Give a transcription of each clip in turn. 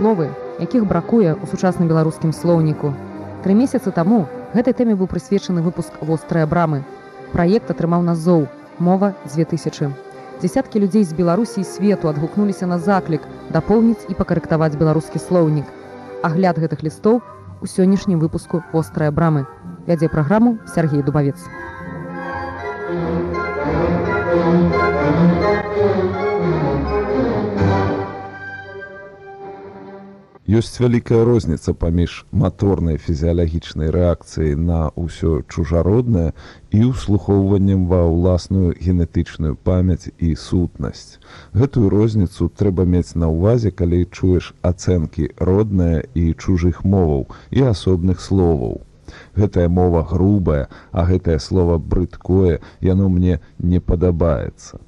словы, якіх бракуе ў сучасным беларускім слоўніку. 3 месяцы таму гэтай тэме быў прысвечаны выпуск «Вострыя брамы». Праект атрымаў назоў «Мова 2000». Дзесяткі людзей з Беларусі і свету адгукнуліся на заклік дапоўніць і пакарэктаваць беларускі слоўнік. Агляд гэтых лістоў у сённяшнім выпуску «Вострыя брамы». Вядзе праграму Сергей Дубавец. Ёсць вялікая розніца паміж маторнай фізіялагічнай рэакцыяй на ўсё чужароднае і ўслухоўваннем ва ўласную генетычную памяць і сутнасць. Гэтую розніцу трэба мець на ўвазе, калі чуеш ацэнкі роднае і чужых моваў і асобных словаў. Гэтая мова грубая, а гэтае слова брыдкое, яно мне не падабаецца.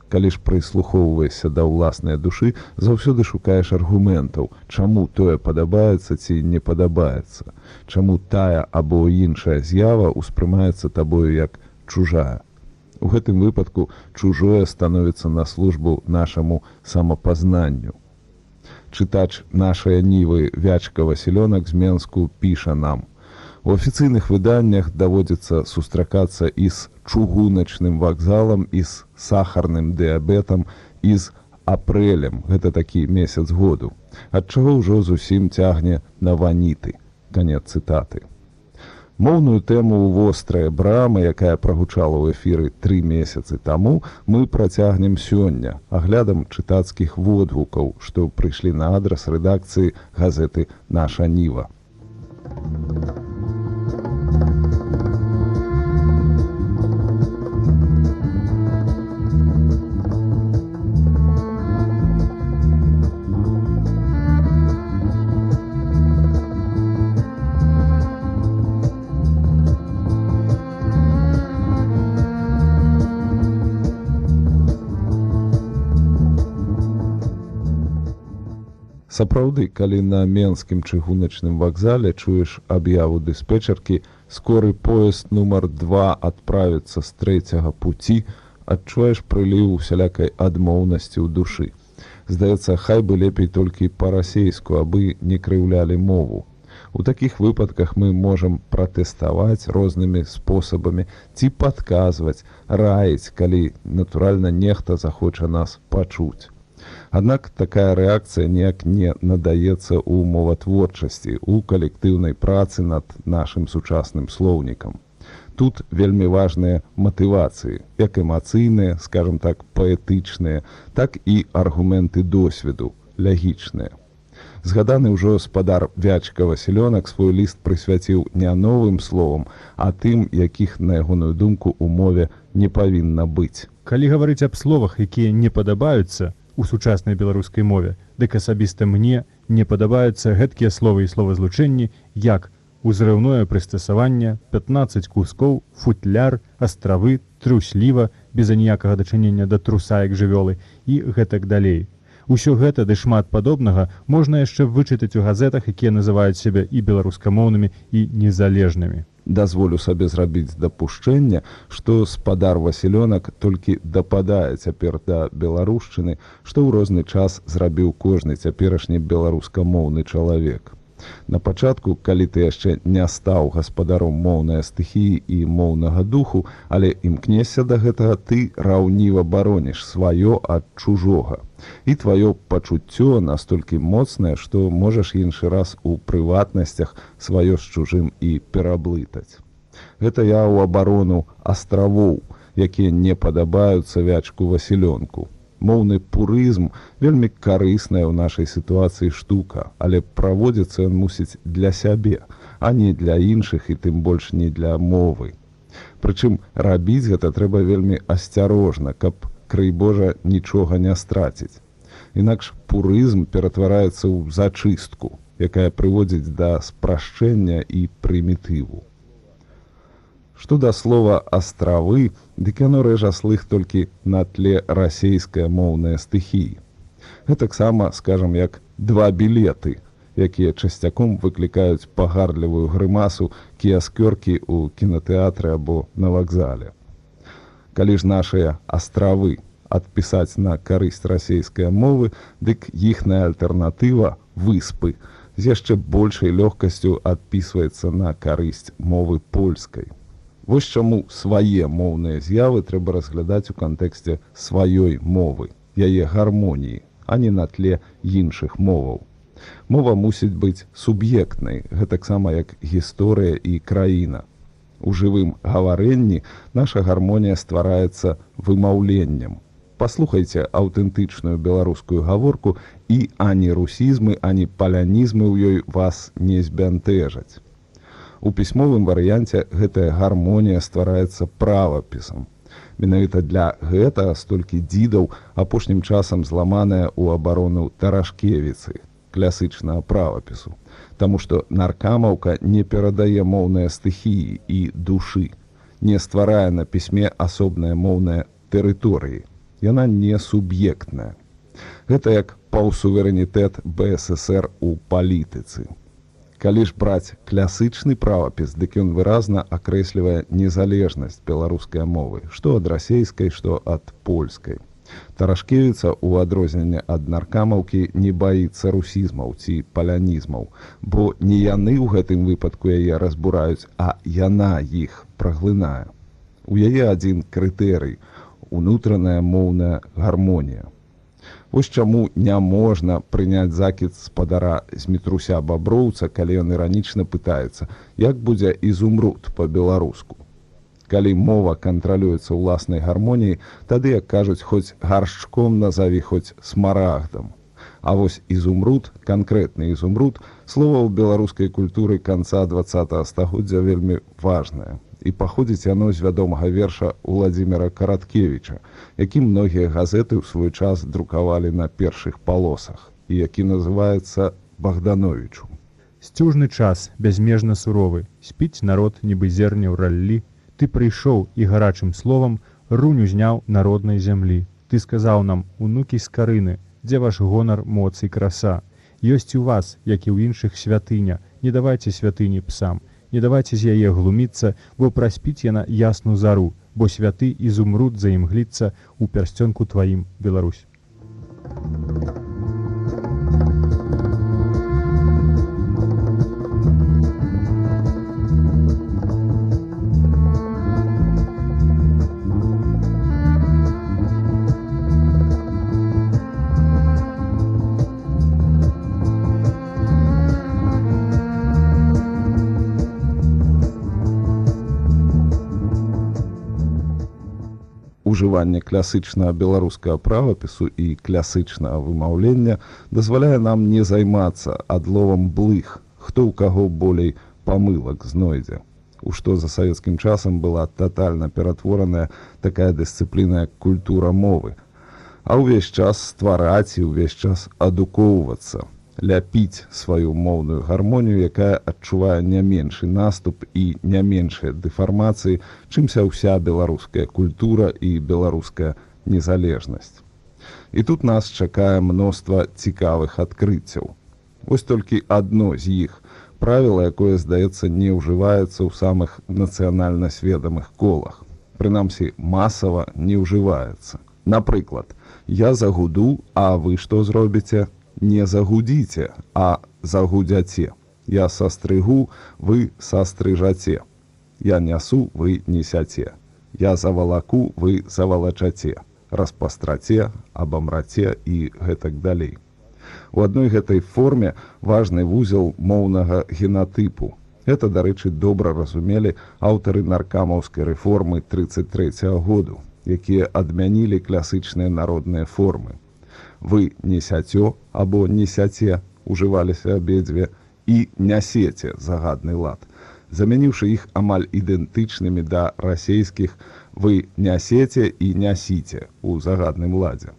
Калі ж прыслухоўваешся да ўласнай душы, заўсёды шукаеш аргументаў, чаму тое падабаецца ці не падабаецца, чаму тая або іншая з'ява ўспрымаецца табою як чужая. У гэтым выпадку чужое становіцца на службу нашаму самапазнанню. Чытач нашай Нівы Вячка Васілёнак з Менску піша нам: у афіцыйных выданнях даводзіцца сустракацца і з чугуначным вакзалам, і з сахарным дыябетам, і з апрэлем, гэта такі месяц году, ад чаго ўжо зусім цягне на ваніты. Канец цытаты. Моўную тэму «Вострыя брамы», якая прагучала ў эфіры 3 месяцы таму, мы працягнем сёння аглядам чытацкіх водгукаў, што прыйшлі на адрас рэдакцыі газеты «Наша Ніва». Сапраўды, калі на Менскім чыгуначным вакзале чуеш аб'яву дыспетчеркі «Скоры поезд нумар 2 адправіцца з 3-го пуці», адчуваеш прыліў усялякай адмоўнасці ў душы. Здаецца, хай бы лепей толькі па-расейску, абы не крыўлялі мову. У такіх выпадках мы можам пратэставаць рознымі спосабамі ці падказваць, раіць, калі, натуральна, нехта захоча нас пачуць. Аднак такая рэакцыя ніяк не надаецца ў моватворчасці, у калектыўнай працы над нашым сучасным слоўнікам. Тут вельмі важныя матывацыі, як эмацыйныя, скажам так, паэтычныя, так і аргументы досведу, лягічныя. Згаданы ўжо спадар Вячка Васілёнак свой ліст прысвяціў не новым словам, а тым, якіх, на ягоную думку, у мове не павінна быць. Калі гаварыць аб словах, якія не падабаюцца у сучаснай беларускай мове, дык асабіста мне не падабаюцца гэткія словы і словазлучэнні, як узрыўное прыстасаванне, 15 кускоў, футляр, астравы, трусліва, без аніякага дачынення да труса як жывёлы і гэтак далей. Усё гэта ды шмат падобнага можна яшчэ вычытаць у газетах, якія называюць сябе і беларускамоўнымі, і незалежнымі. Дазволю сабе зрабіць дапушчэнне, што спадар Васілёнак толькі дападае цяпер да беларушчыны, што ў розны час зрабіў кожны цяперашні беларускамоўны чалавек. На пачатку, калі ты яшчэ не стаў гаспадаром моўнай стыхіі і моўнага духу, але імкнешся да гэтага, ты раўніва бароніш сваё ад чужога. І тваё пачуццё настолькі моцнае, што можаш іншы раз у прыватнасцях сваё з чужым і пераблытаць. Гэта я ў абарону астравоў, якія не падабаюцца Вячку Васілёнку. Моўны пурызм вельмі карысная ў нашай сітуацыі штука, але праводзіцца ён мусіць для сябе, а не для іншых і тым больш не для мовы. Прычым рабіць гэта трэба вельмі асцярожна, каб, крый Божа, нічога не страціць. Інакш пурызм ператвараецца ў зачыстку, якая прыводзіць да спрашчэння і прымітыву. Што да слова «астравы», дык яно рэжа слых толькі на тле расейскай моўнай стыхіі. Гэтаксама, скажам, як 2 білеты, якія часцяком выклікаюць пагардлівую грымасу кіяскёркі ў кінатэатры або на вакзале. Калі ж нашыя астравы адпісаць на карысць расейскай мовы, дык іхная альтэрнатыва выспы з яшчэ большай лёгкасцю адпісваецца на карысць мовы польскай. Вось чаму свае моўныя з'явы трэба разглядаць у кантэксце сваёй мовы, яе гармоніі, а не на тле іншых моваў. Мова мусіць быць суб'ектнай, гэтаксама як гісторыя і краіна. У жывым гаварэнні наша гармонія ствараецца вымаўленнем. Паслухайце аўтэнтычную беларускую гаворку, і ані русізмы, ані палянізмы ў ёй вас не збянтэжаць. У пісьмовым варыянце гэтая гармонія ствараецца правапісам. Менавіта для гэтага столькі дзідаў апошнім часам зламаная ў абарону Тарашкевіцы, класычнага правапісу. Таму што наркамаўка не перадае моўныя стыхіі і душы, не стварае на пісьме асобныя моўныя тэрыторыі. Яна не суб'ектная. Гэта як паўсуверэнітэт БССР у палітыцы. Калі ж браць класычны правапіс, дык ён выразна акрэслівае незалежнасць беларускай мовы, што ад расейскай, што ад польскай. Тарашкевіца, у адрозненне ад наркамаўкі, не баіцца русізмаў ці палянізмаў, бо не яны ў гэтым выпадку яе разбураюць, а яна іх праглынае. У яе адзін крытэрый – унутраная моўная гармонія. Вось чаму не можна прыняць закід спадара Змітруся Баброўца, калі ён іранічна пытаецца, як будзе ізумруд па-беларуску. Калі мова кантралюецца ўласнай гармоніяй, тады, як кажуць, хоць гаршчком назаві, хоць смарагдам. А вось ізумруд, канкрэтны ізумруд, слова ў беларускай культуры канца 20-го стагоддзя вельмі важнае. І паходзіць яно з вядомага верша Уладзіміра Караткевіча, які многія газеты ў свой час друкавалі на першых палосах, і які называецца «Богдановичу». Сцюжны час, бязмежна суровы, спіць народ, нібы зерне ў раллі. Ты прыйшоў і гарачым словам рунь узняў народнай зямлі. Ты сказаў нам, унукі з карыны, дзе ваш гонар, моц і краса. Ёсць у вас, як і ў іншых, святыня, не давайце святыні псам. Не давайце з яе глуміцца, бо праспіць яна ясну зару, бо святы ізумруд заімгліцца ў пярсцёнку тваім, Беларусь. Ужыванне класычнага беларускага правапісу і класычнага вымаўлення дазваляе нам не займацца адловам блых, хто ў каго болей памылак знойдзе, у што за савецкім часам была татальна ператвораная такая дысцыпліна, як культура мовы, а ўвесь час ствараць і ўвесь час адукоўвацца, ляпіць сваю моўную гармонію, якая адчувае не меншы наступ і не меншыя дэфармацыі, чымся ўся беларуская культура і беларуская незалежнасць. І тут нас чакае мноства цікавых адкрыццяў. Вось толькі адно з іх, правіла, якое, здаецца, не ўжываецца ў самых нацыянальна сведамых колах. Прынамсі, масава не ўжываецца. Напрыклад, я загуду, а вы што зробіце? Не загудзіце, а загудзяце. Я састрыгу, вы састрыжаце. Я нясу, вы несяце. Я завалаку, вы завалачаце. Распастраце, абамраце і гэтак далей. У адной гэтай форме важны вузел моўнага генатыпу. Гэта, дарэчы, добра разумелі аўтары наркамаўскай рэформы 33-го году, якія адмянілі класычныя народныя формы. Вы несяцё або несяце, ужываліся абедзве, і нясеце загадны лад, замяніўшы іх амаль ідэнтычнымі да расейскіх «вы нясеце» і «нясіце» у загадным ладзе.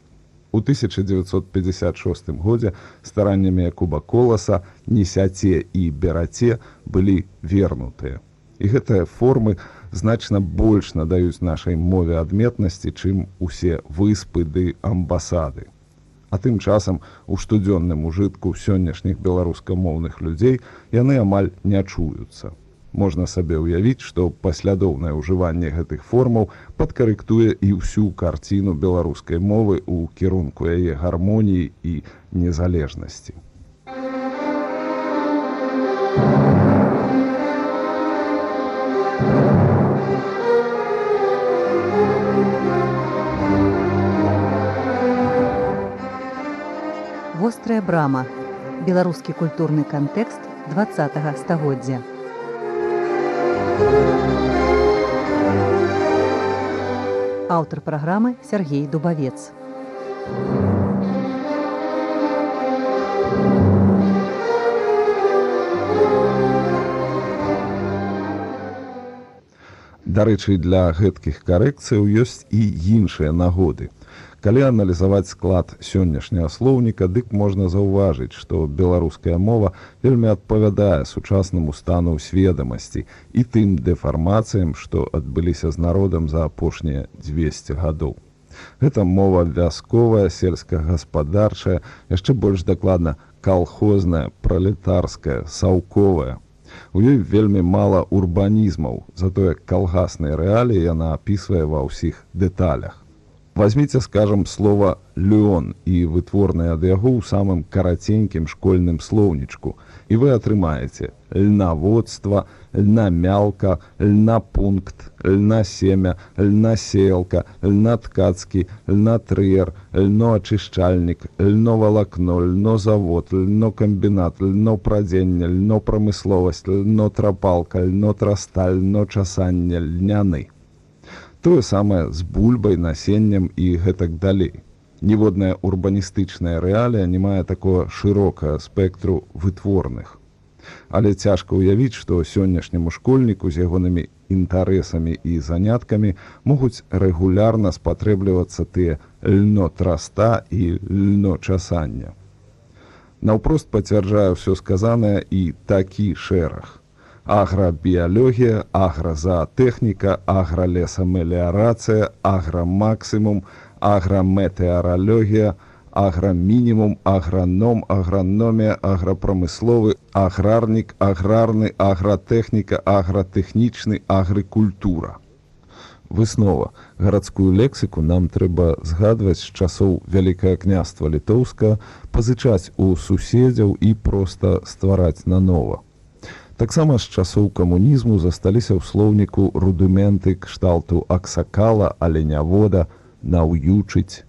У 1956 годзе стараннямі Якуба Коласа «несяце» і «бераце» былі вернутыя. І гэтыя формы значна больш надаюць нашай мове адметнасці, чым усе выспы ды амбасады. А тым часам у штодзённым ужытку сённяшніх беларускамоўных людзей яны амаль не чуюцца. Можна сабе ўявіць, што паслядоўнае ўжыванне гэтых формаў падкарэктуе і ўсю карціну беларускай мовы ў кірунку яе гармоніі і незалежнасці. Вострая брама. Беларускі культурны кантэкст 20-го стагоддзя. Аўтар праграмы Сергей Дубавец. Дарэчы, для гэткіх карэкцыяў ёсць і іншыя нагоды. Калі аналізаваць склад сённяшняга слоўніка, дык можна заўважыць, што беларуская мова вельмі адпавядае сучаснаму стану сведамасці і тым дэфармацыям, што адбыліся з народам за апошнія 200 гадоў. Гэта мова вясковая, сельскагаспадарчая, яшчэ больш дакладна калхозная, пралетарская, саўковая. У ёй вельмі мала урбанізмаў, затое калгасныя рэаліі яна апісвае ва ўсіх дэталях. Возьмите, скажем, слово «лён» и вытворное ад яго ў самым караценькім школьным слоўнічку, і вы атрымаеце льнаводство, льнамялка, льнапункт, льнасемя, льнасеялка, льнаткацкі, льнатрыер, льноачышчальнік, льновалакно, льнозавод, льнокамбінат, льнопрадзенне, льнопрамысловасць, льнотрапалка, льнотрасталь, льночасанне, льняны. Тое самае з бульбай, насеннем і гэтак далей. Ніводная урбаністычная рэалія не мае такого шырокага спектру вытворных. Але цяжка ўявіць, што сённяшняму школьніку з ягонымі інтарэсамі і заняткамі могуць рэгулярна спатрэблівацца тыя льнотраста і льночасання. Наўпрост пацвярджае ўсё сказанае і такі шэраг. Аграбіялогія, агразаатэхніка, агралесамеліарацыя, аграмаксімум, аграметэаралогія, аграмінімум, аграном, аграномія, аграпрамысловы, аграрнік, аграрны, агратэхніка, агратэхнічны, агрыкультура. Выснова. Гарадскую лексіку нам трэба згадваць з часоў Вялікае княства Літоўскага, пазычаць у суседзяў і проста ствараць нанова. Таксама з часоў камунізму засталіся ў слоўніку рудыменты кшталту аксакала, аленявода, наўючыць.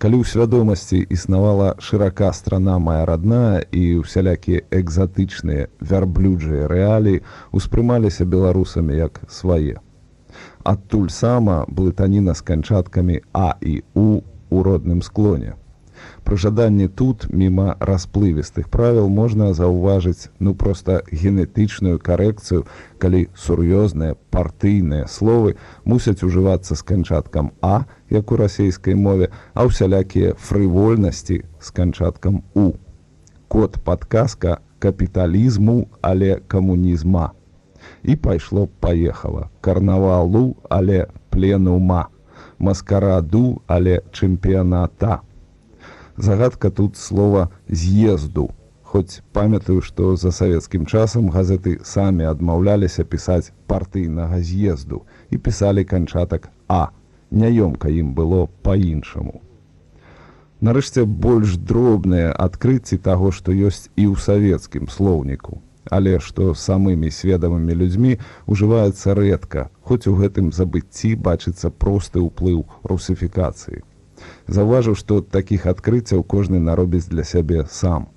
Калі ў свядомасці існавала шырака страна моя родная і ўсялякія экзатычныя вярблюджыя рэаліі успрымаліся беларусамі як свае. Адтуль сама блытаніна з канчаткамі А і У ў родным склоне. Пры жаданні тут, міма расплывістых правіл, можна заўважыць проста генетычную карэкцыю, калі сур'ёзныя партыйныя словы мусяць ужывацца з канчаткам А, як у расейскай мове, а ўсялякія фрывольнасці з канчаткам У. Код падказка капіталізму, але камунізма. І пайшло-паехала. Карнавалу, але пленума. Маскараду, але чэмпіяната. Загадка тут слова «з'езду». Хоць памятаю, што за савецкім часам газеты самі адмаўляліся пісаць партыйнага з'езду і пісалі канчатак «а». Няёмка ім было па-іншаму. Нарэшце, больш дробныя адкрыцці таго, што ёсць і ў савецкім слоўніку, але што самымі сведамымі людзьмі ўжываецца рэдка, хоць у гэтым забыцці бачыцца просты ўплыў русіфікацыі. Заўважыў, што такіх адкрыццяў кожны наробіць для сябе сам,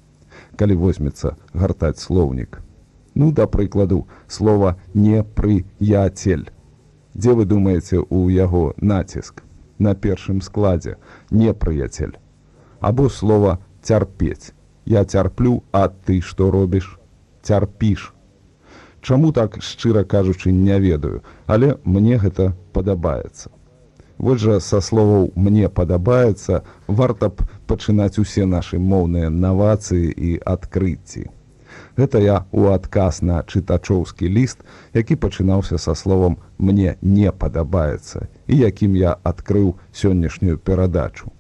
калі возьмецца гартаць слоўнік. Да прыкладу, слова «непрыяцель». Дзе вы думаеце ў яго націск? На першым складзе «непрыяцель». Або слова «цярпець». Я цярплю, а ты што робіш? Цярпіш. Чаму так, шчыра кажучы, не ведаю, але мне гэта падабаецца. Вось жа са словаў «мне падабаецца» варта б пачынаць усе нашы моўныя навацыі і адкрыцці. Гэта я ў адказ на чытачоўскі ліст, які пачынаўся са словам «мне не падабаецца» і якім я адкрыў сённяшнюю перадачу.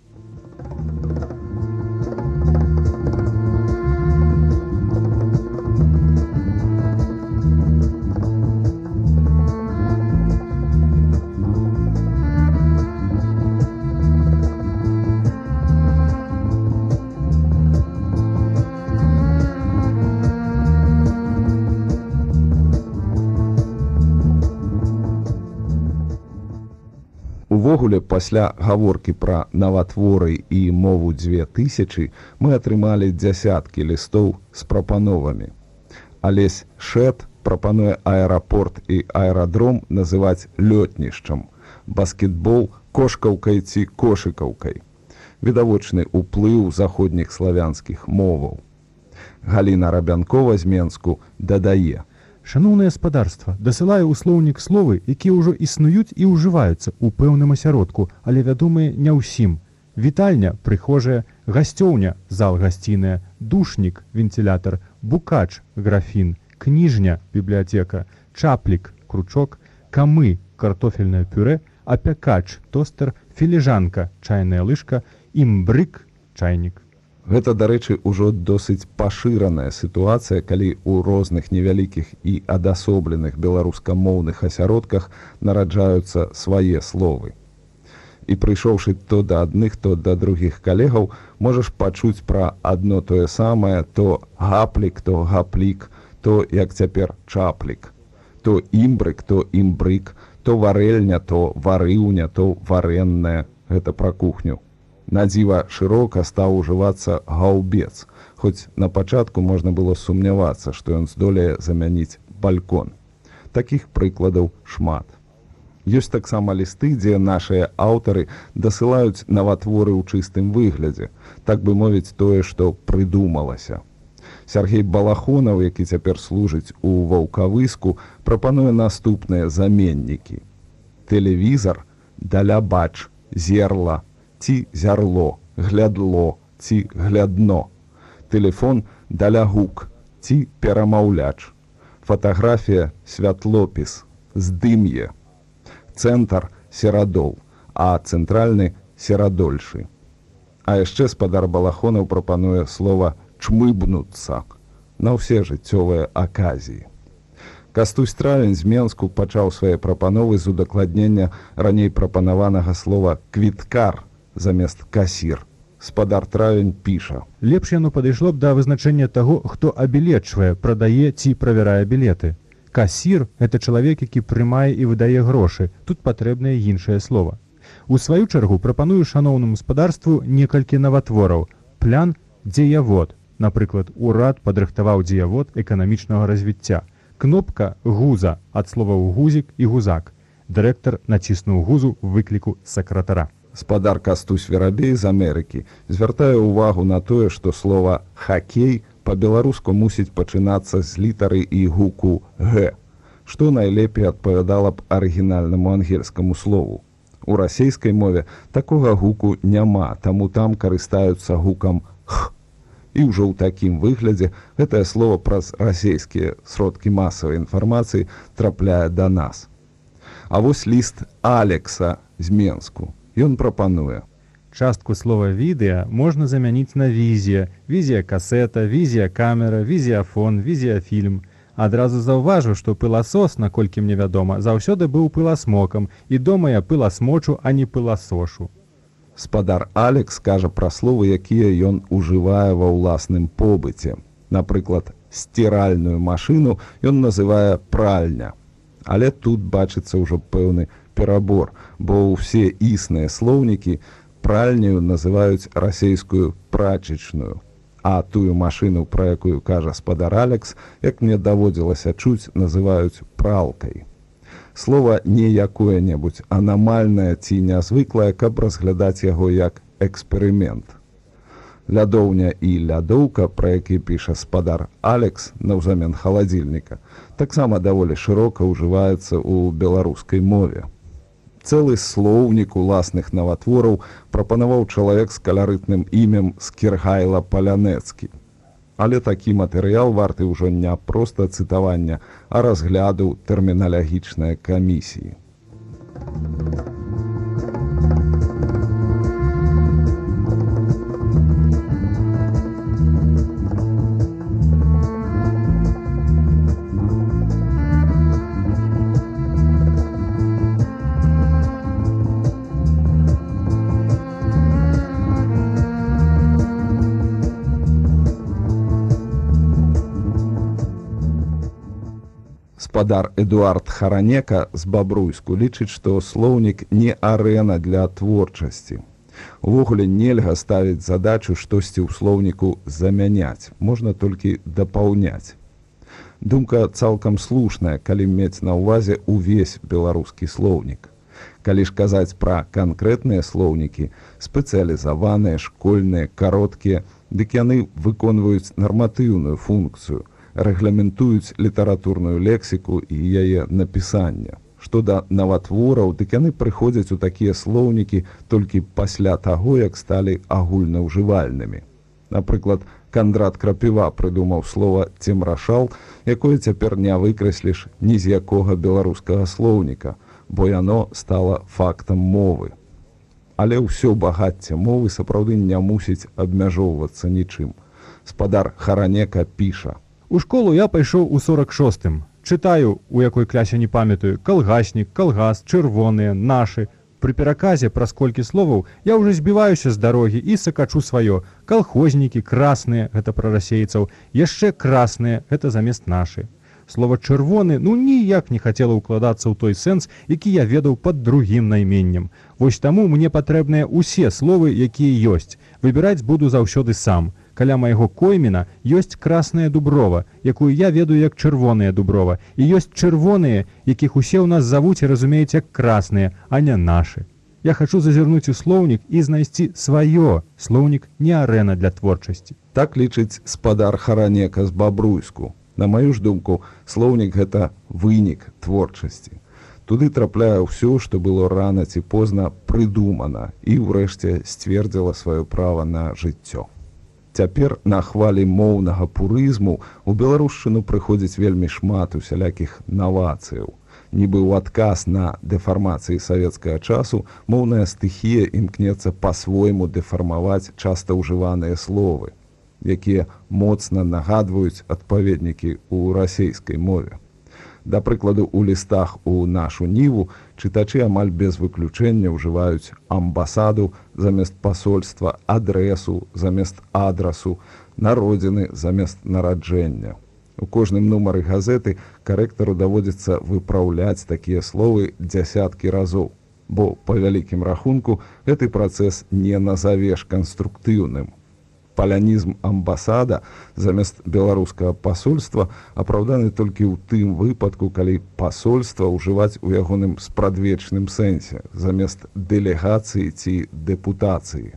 Увогуле, пасля гаворкі пра наватворы і мову 2000 мы атрымалі дзясяткі лістоў з прапановамі. Алесь Шэт прапануе аэрапорт і аэрадром называць лётнішчам, баскетбол кошкаўкай ці кошыкаўкай. Відавочны ўплыў заходніх славянскіх моваў. Галіна Рабянкова з Менску дадае: Шаноўнае спадарства, дасылаю ў слоўнік словы, якія ўжо існуюць і ўжываюцца ў пэўным асяродку, але вядомыя не ўсім. Вітальня, прыхожая, гасцёўня, зал гасціная, душнік, вентылятар, букач, графін, кніжня, бібліятэка, чаплік, кручок, камы, картофельнае пюрэ, апякач, тостер, філіжанка, чайная лыжка, імбрык, чайнік. Гэта, дарэчы, ужо досыць пашыраная сітуацыя, калі ў розных невялікіх і адасобленых беларускамоўных асяродках нараджаюцца свае словы. І прыйшоўшы то да адных, то да другіх калегаў, можаш пачуць пра адно тое самае, то гаплік, то гаплік, то, як цяпер, чаплік, то імбрык, то імбрык, то варэльня, то варыўня, то варэнная. Гэта пра кухню. Надзіва шырока стаў ужывацца гаўбец, хоць на пачатку можна было сумнявацца, што ён здолее замяніць балькон. Такіх прыкладаў шмат. Ёсць таксама лісты, дзе нашыя аўтары дасылаюць наватворы ў чыстым выглядзе, так бы мовіць, тое, што прыдумалася. Сяргей Балахонаў, які цяпер служыць у Ваўкавыску, прапануе наступныя заменнікі. Тэлевізар, далябач, зерла, ці зярло, глядло, ці глядно. Тэлефон, далягук, ці перамаўляч. Фатаграфія, святлопіс, здым'е. Цэнтр – серадол, а цэнтральны – серадольшы. А яшчэ спадар Балахонаў прапануе слова «чмыбнуцца» на ўсе жыццёвыя аказіі. Кастусь Травень з Менску пачаў свае прапановы з удакладнення раней прапанаванага слова «квіткар» замест «касір». Спадар Травень піша: Лепш яно падышло б да вызначэння таго, хто абілечвае, прадае ці правярае білеты. Касір – гэта чалавек, які прымае і выдае грошы. Тут патрэбнае іншае слова. У сваю чаргу прапаную шаноўнаму спадарству некалькі наватвораў. Плян – дзеявод. Напрыклад, урад падрыхтаваў дзеявод эканамічнага развіцця. Кнопка – гуза, ад словаў гузік і гузак. Дырэктар націснуў гузу выкліку сакратара. Спадар Кастусь Верабей з Амерыкі звяртае ўвагу на тое, што слова «хакей» па-беларуску мусіць пачынацца з літары і гуку «г», што найлепей адпавядала б арыгінальнаму ангельскаму слову. У расейскай мове такога гуку няма, таму там карыстаюцца гукам «х». І ўжо ў такім выглядзе гэтае слово праз расейскія сродкі масавай інфармацыі трапляе да нас. А вось ліст Алекса з Менску. Ён прапануе: Частку слова «відэа» можна замяніць на «візія», «візія-касета», «візія-камера», «візіяфон», «візіяфільм». Адразу заўважу, што пыласос, наколькі мне вядома, заўсёды быў пыласмокам, і дома я пыласмочу, а не пыласошу. Спадар Алекс кажа пра словы, якія ён ужывае ва ўласным побыце. Напрыклад, стиральную машыну ён называе пральня. Але тут бачыцца ўжо пэўны перабор, бо ўсе існыя слоўнікі пральняю называюць расейскую прачечную, а тую машыну, пра якую кажа спадар Алекс, як мне даводзілася чуць, называюць пралкай. Слова не якое-небудзь анамальнае ці нязвыклае, каб разглядаць яго як эксперымент. Лядоўня і лядоўка, пра які піша спадар Алекс наўзамен халадзільніка, таксама даволі шырока ўжываецца ў беларускай мове. Цэлы слоўнік уласных наватвораў прапанаваў чалавек з каларытным імем Скіргайла Палянэцкі. Але такі матэрыял варты ўжо не проста цытавання, а разгляду тэрміналагічнай камісіі. Спадар Эдуард Харанека з Бабруйску лічыць, што слоўнік не арэна для творчасці. Увогуле нельга ставіць задачу штосьці ў слоўніку замяняць, можна толькі дапаўняць. Думка цалкам слушная, калі мець на ўвазе увесь беларускі слоўнік. Калі ж казаць пра канкрэтныя слоўнікі, спецыялізаваныя, школьныя, кароткія, дык яны выконваюць нарматыўную функцыю, рэгламентуюць літаратурную лексіку і яе напісання. Што да наватвораў, дык яны прыходзяць у такія слоўнікі толькі пасля таго, як сталі агульнаўжывальнымі. Напрыклад, Кандрат Крапіва прыдумаў слова «цемрашал», якое цяпер не выкрэсліш ні з якога беларускага слоўніка, бо яно стала фактам мовы. Але ўсё багацце мовы сапраўды не мусіць абмяжоўвацца нічым. Спадар Харанека піша: У школу я пайшоў у 46-м. Чытаю, у якой клясе не памятаю, калгаснік, калгас, чырвоныя, нашы. Пры пераказе праз колькі словаў я ўжо збіваюся з дарогі і сакачу сваё. Калхознікі, красныя, гэта пра расейцаў, яшчэ красныя, гэта замест нашы. Слова «чырвоны» ніяк не хацела ўкладацца ў той сэнс, які я ведаў пад другім найменнем. Вось таму мне патрэбныя ўсе словы, якія ёсць. Выбіраць буду заўсёды сам. Каля майго коймена ёсць красная дуброва, якую я ведаю як чырвоная дуброва, і ёсць чырвоныя, якіх усе ў нас завуць і разумеюць як красныя, а не нашы. Я хачу зазірнуць у слоўнік і знайсці сваё. Слоўнік не арэна для творчасці. Так лічыць спадар Харанека з Бабруйску. На маю ж думку, слоўнік – гэта вынік творчасці. Туды трапляе ўсё, што было рана ці позна прыдумана і ўрэшце сцвердзіла сваё права на жыццё. Цяпер на хвалі моўнага пурызму у беларушчыну прыходзіць вельмі шмат усялякіх навацыяў. Нібы ў адказ на дэфармацыі савецкага часу моўная стыхія імкнецца па-свойму дэфармаваць часта ўжываныя словы, якія моцна нагадваюць адпаведнікі ў расейскай мове. Да прыкладу, у лістах у нашу ніву чытачы амаль без выключэння ўжываюць амбасаду замест пасольства, адрэсу замест адрасу, народзіны замест нараджэння. У кожным нумары газеты карэктару даводзіцца выпраўляць такія словы дзясяткі разоў, бо, па вялікім рахунку, гэты працэс не назавеш канструктыўным. Палянізм амбасада замест беларускага пасольства апраўданы толькі ў тым выпадку, калі пасольства ўжываць у ягоным спрадвечным сэнсе замест дэлегацыі ці дэпутацыі.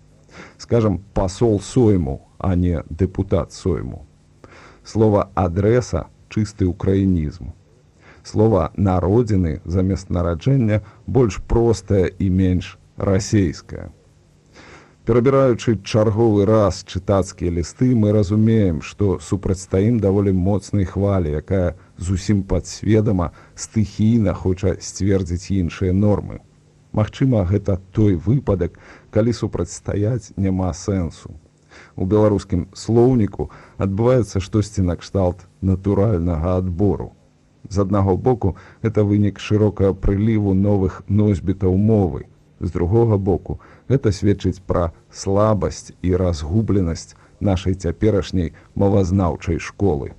Скажам, пасол сойму, а не дэпутат сойму. Слова «адрэса» – чысты украінізм. Слова «народзіны» замест нараджэння больш простае і менш расейскае. Перабіраючы чарговы раз чытацкія лісты, мы разумеем, што супрацьстаім даволі моцнай хвалі, якая зусім падсведама стыхійна хоча сцвердзіць іншыя нормы. Магчыма, гэта той выпадак, калі супрацьстаяць няма сэнсу. У беларускім слоўніку адбываецца штосьці накшталт натуральнага адбору. З аднаго боку, гэта вынік шырокага прыліву новых носьбітаў мовы. З другога боку, гэта сведчыць пра слабасць і разгубленасць нашай цяперашняй мовазнаўчай школы.